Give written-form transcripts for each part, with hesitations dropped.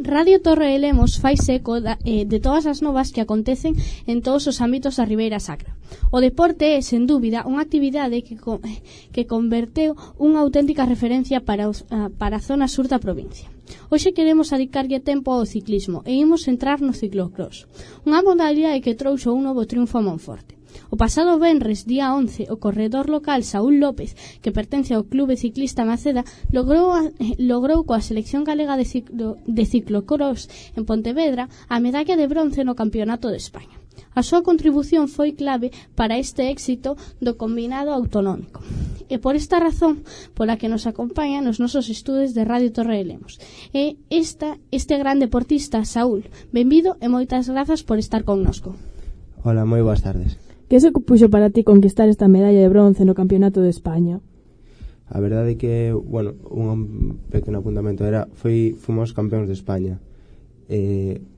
Radio Torre de Lemos faise eco de todas as novas que acontecen en todos os ámbitos da Ribeira Sacra. O deporte é, sen dúbida, unha actividade que converteu unha auténtica referencia para a zona sur da provincia. Hoxe queremos dedicarlle tempo ao ciclismo e imos entrar no ciclocross, unha modalidade que trouxo un novo triunfo a Monforte. O pasado venres, día 11, o corredor local Saúl López, que pertence ao Clube Ciclista Maceda, logrou coa selección galega de ciclocross en Pontevedra a medalla de bronce no Campeonato de España. A súa contribución foi clave para este éxito do combinado autonómico. E por esta razón pola que nos acompaña nos nosos estudos de Radio Torre de Lemos. E este gran deportista, Saúl, benvido e moitas grazas por estar connosco. Hola, moi boas tardes. Que se puxo para ti conquistar esta medalla de bronce no Campeonato de España? A verdade é que, un pequeno apuntamento fomos campeóns de España.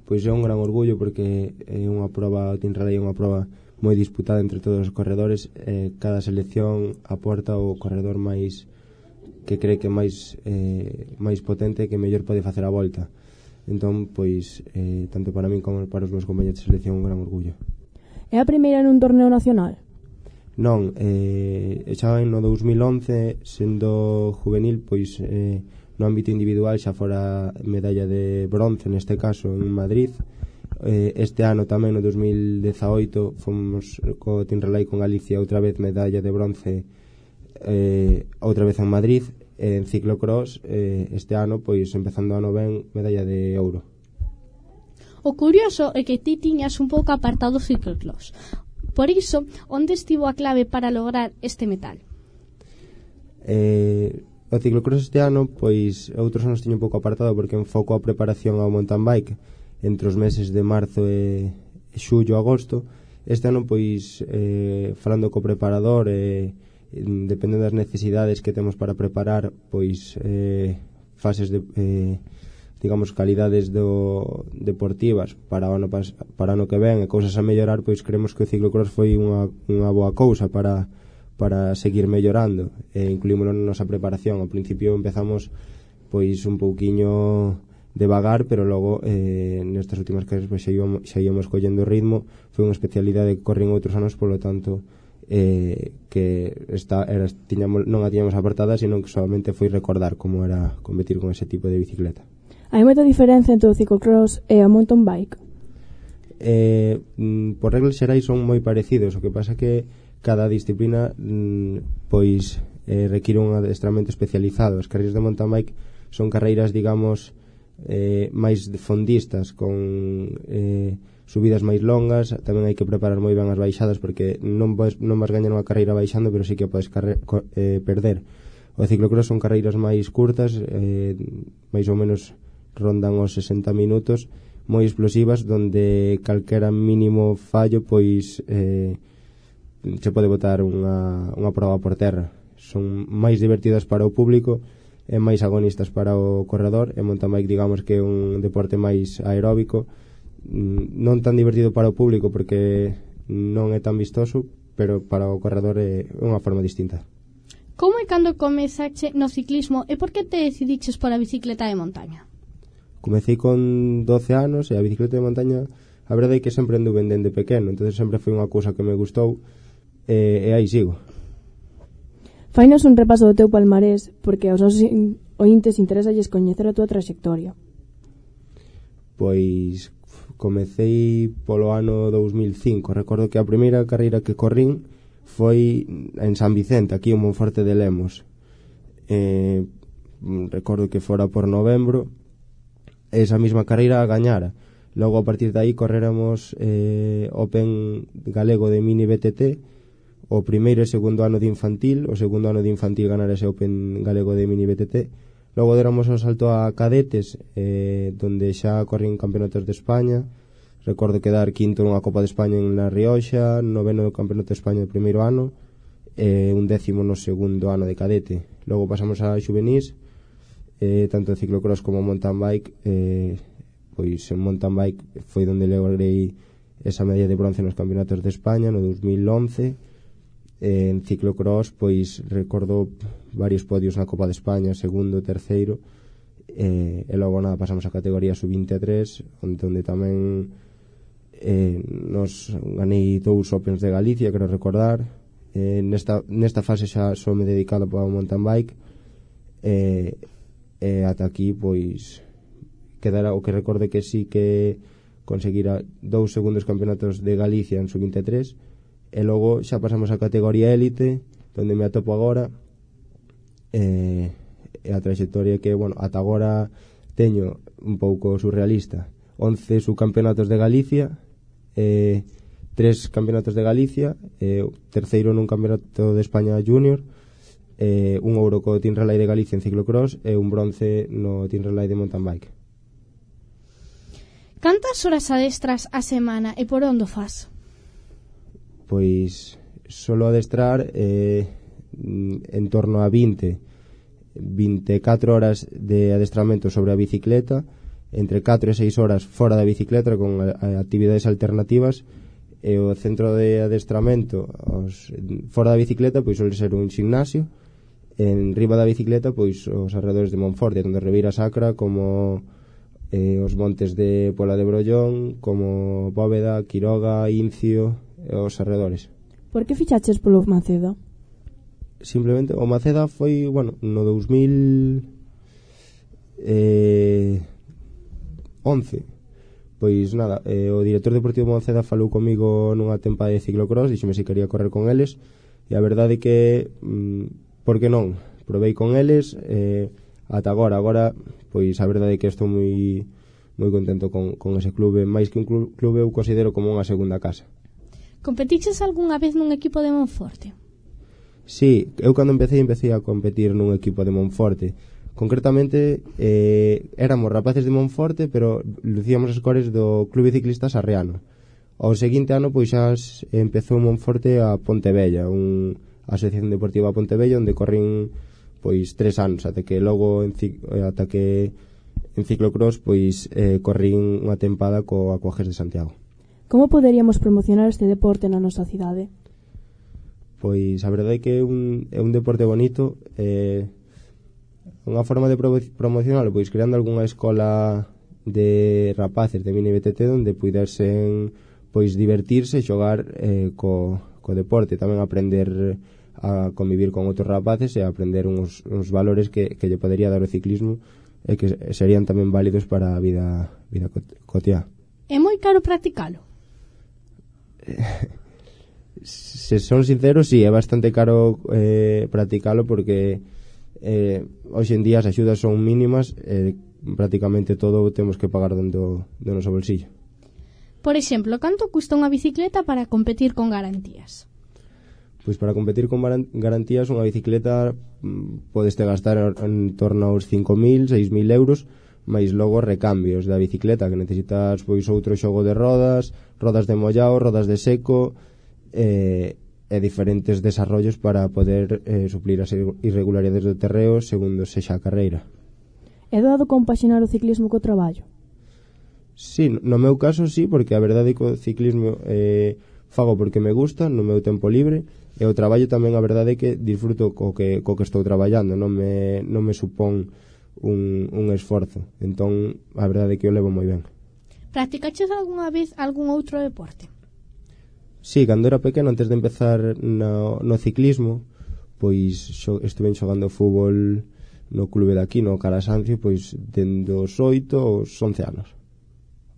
Pois é un gran orgullo porque é unha prova, o Team Rally é unha prova moi disputada entre todos os corredores. Cada selección aporta o corredor máis que cree que máis potente, que mellor pode facer a volta. Entón, pois, tanto para min como para os meus compañeros de selección, un gran orgullo. É a primeira nun torneo nacional? Non, xa no 2011, sendo juvenil, pois no ámbito individual xa fora medalla de bronce, neste caso en Madrid. Este ano tamén, no 2018, fomos co Team Relay con Galicia outra vez medalla de bronce, outra vez en Madrid. En ciclocross, este ano, pois empezando o ano ben, medalla de ouro. O curioso é que ti tiñas un pouco apartado o ciclocross. Por iso, onde estivo a clave para lograr este metal? O ciclocross este ano, pois, outros anos tiño un pouco apartado porque enfoco a preparación ao mountain bike entre os meses de marzo e xullo, agosto. Este ano, pois, falando co preparador, dependendo das necesidades que temos para preparar, pois, fases de... digamos, calidades deportivas para o ano que ven e cousas a mellorar, pois creemos que o ciclocross foi unha boa cousa para seguir mellorando, e incluímoslo na nosa preparación. Ao principio empezamos pois un pouquiño devagar, pero logo nestas últimas clases pois xa íamos collendo ritmo. Foi unha especialidade que corren outros anos, polo tanto que non a tiñamos apartada, sino que solamente foi recordar como era competir con ese tipo de bicicleta. Hai moita diferenza entre o ciclocross e a mountain bike? Por reglas xerais son moi parecidos. O que pasa que cada disciplina pois require un adestramento especializado. As carreiras de mountain bike son carreiras, digamos, máis fondistas, con subidas máis longas. Tamén hai que preparar moi ben as baixadas, porque non vas gañar unha carreira baixando, pero sí que podes perder. O ciclocross son carreiras máis curtas, máis ou menos rondan os 60 minutos, moi explosivas, donde calquera mínimo fallo pois se pode botar unha prova por terra. Son máis divertidas para o público e máis agonistas para o corredor. E mountain bike, digamos que é un deporte máis aeróbico, non tan divertido para o público porque non é tan vistoso, pero para o corredor é unha forma distinta. Como e cando comezache no ciclismo e por que te decidiches pola bicicleta de montaña? Comecei con 12 anos e a bicicleta de montaña, a verdade é que sempre anduve dende pequeno, entonces sempre foi unha cousa que me gustou, e aí sigo. Fainos un repaso do teu palmarés, porque aos nosos ointes interésalles coñecer a túa trayectoria. Pois comecei polo ano 2005. Recordo que a primeira carreira que corrín foi en San Vicente, aquí en Monforte de Lemos. Recordo que fora por novembro. Esa mesma carreira a gañara. Logo, a partir de aí, corréramos Open Galego de Mini BTT, o primeiro e segundo ano de infantil. O segundo ano de infantil ganar ese Open Galego de Mini BTT. Logo déramos o salto a cadetes, donde xa corrín campeonatos de España. Recordo quedar quinto nunha Copa de España en La Rioxa, noveno no campeonato de España no primeiro ano, un décimo no segundo ano de cadete. Logo pasamos a xuvenís, tanto de ciclocross como mountain bike. Pois en mountain bike foi onde logrei esa medalla de bronce nos campeonatos de España no 2011. En ciclocross pois recordo varios podios na Copa de España, segundo, terceiro, e logo nada, pasamos a categoría sub-23 onde tamén nos ganei 2 Opens de Galicia, quero recordar. Nesta fase xa só me dedicado para o mountain bike, ata aquí pois quedara o que recorde que sí que conseguira 2 segundos campeonatos de Galicia en sub-23, e logo xa pasamos a categoría élite onde me atopo agora. E a trayectoria que, bueno, ata agora teño un pouco surrealista: 11 subcampeonatos de Galicia, 3 campeonatos de Galicia, terceiro nun campeonato de España junior, un ouro co Team Relay de Galicia en ciclocross e un bronce no Team Relay de mountain bike. Cantas horas adestras a semana e por onde fas? Pois solo adestrar en torno a 24 horas de adestramento sobre a bicicleta, entre 4 e 6 horas fora da bicicleta con actividades alternativas, e o centro de adestramento fora da bicicleta pois suele ser un gimnasio, en riba da bicicleta pois os arredores de Monforte, tanto Ribeira Sacra como os montes de Pola de Brollón, como Bóveda, Quiroga, Incio e os arredores. Por que fichaches polo Maceda? Simplemente o Maceda foi, bueno, no 2011. Pois nada, o director deportivo de Maceda falou comigo nunha tempada de ciclocross, dixeme se quería correr con eles, e a verdade é que por que non? Provei con eles, ata agora pois a verdade é que estou moi contento con ese clube. Máis que un clube eu considero como unha segunda casa. Competiches algunha vez nun equipo de Monforte? Sí, eu cando empecé a competir nun equipo de Monforte. Concretamente éramos rapaces de Monforte, pero lucíamos as cores do Clube Ciclista Sarriano. Ao seguinte ano pois xa empezou Monforte a Pontevella, a asociación deportiva a Pontevella, onde corrín pois 3 anos, ata que logo en ciclocross pois corrín unha tempada co Aquajes de Santiago. Como poderíamos promocionar este deporte na nosa cidade? Pois a verdade é que é un deporte bonito. Unha forma de promocionarlo pois creando algunha escola de rapaces de mini BTT onde puidersen pois divertirse e xogar co deporte, tamén aprender a convivir con outros rapaces e aprender uns valores que lle podería dar o ciclismo e que serían tamén válidos para a vida cotiá. É moi caro practicalo? Se son sinceros, sí, é bastante caro practicalo, porque hoxe en día as axudas son mínimas, prácticamente todo temos que pagar do noso bolsillo. Por exemplo, canto custa unha bicicleta para competir con garantías? Pois para competir con garantías unha bicicleta podes te gastar en torno aos 5.000, 6.000 euros, máis logo recambios da bicicleta, que necesitas pois outro xogo de rodas de mollao, rodas de seco e diferentes desarrollos para poder suplir as irregularidades do terreo segundo sexa a carreira. É doado compaxinar o ciclismo co traballo? Sí, no meu caso sí, porque a verdade é que o ciclismo fago porque me gusta no meu tempo libre, e o traballo tamén a verdade é que disfruto co que estou traballando, non me supón un esforzo, entón a verdade é que o levo moi ben. Practicaches algunha vez algún outro deporte? Sí, cando era pequeno, antes de empezar no ciclismo, pois estuve xogando fútbol no clube de aquí, no Carasancio, pois dende os 8 aos 11 anos.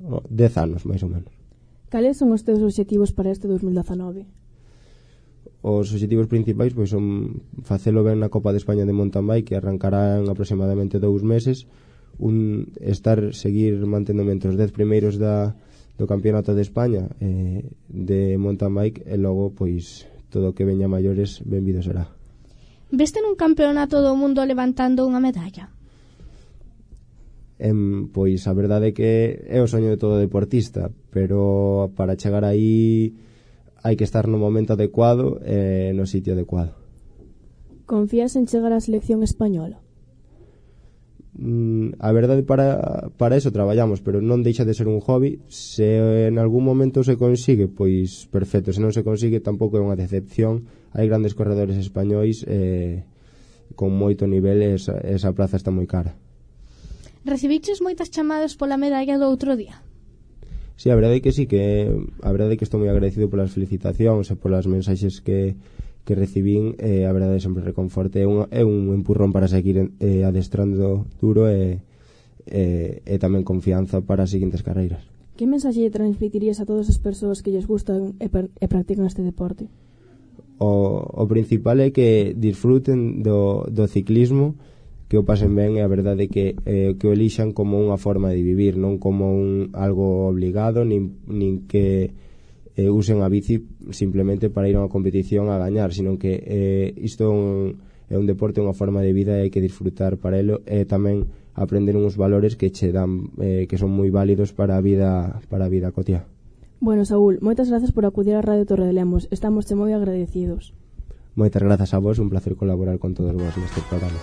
10 anos, máis ou menos. Cales son os teus obxectivos para este 2019? Os obxectivos principais pois son facelo ben na Copa de España de mountain bike, que arrancará en aproximadamente 2 meses, seguir manténdome entre os 10 primeiros do campeonato de España de mountain bike, e logo pois todo o que veña maiores benvido será. Veste nun campeonato do mundo levantando unha medalla? Pois a verdade é que é o soño de todo deportista, pero para chegar aí hai que estar no momento adecuado e no sitio adecuado. Confías en chegar á selección española? A verdade, para eso traballamos, pero non deixa de ser un hobby. Se en algún momento se consigue, pois perfecto. Se non se consigue, tampouco é unha decepción. Hai grandes corredores españois con moito nivel, e esa plaza está moi cara. Recibiches moitas chamadas pola medalla do outro día? Sí, a verdade é que sí, que a verdade é que estou moi agradecido polas felicitacións e polas mensaxes que recibín. A verdade é sempre reconforte, é un empurrón para seguir adestrando duro e tamén confianza para as seguintes carreiras. Que mensaxe transmitirías a todas as persoas que lles gustan e practican este deporte? O principal é que disfruten do ciclismo, que o pasen ben, e a verdade é que o elixan como unha forma de vivir, non como algo obligado, nin que usen a bici simplemente para ir a unha competición a gañar, sino que isto é un deporte, unha forma de vida, e hai que disfrutar para elo, e tamén aprender uns valores que che dan, que son moi válidos para a vida cotiá. Bueno, Saúl, moitas grazas por acudir á Radio Torredolemos. Estamos moi agradecidos. Moitas grazas a vos, un placer colaborar con todos vos neste programa.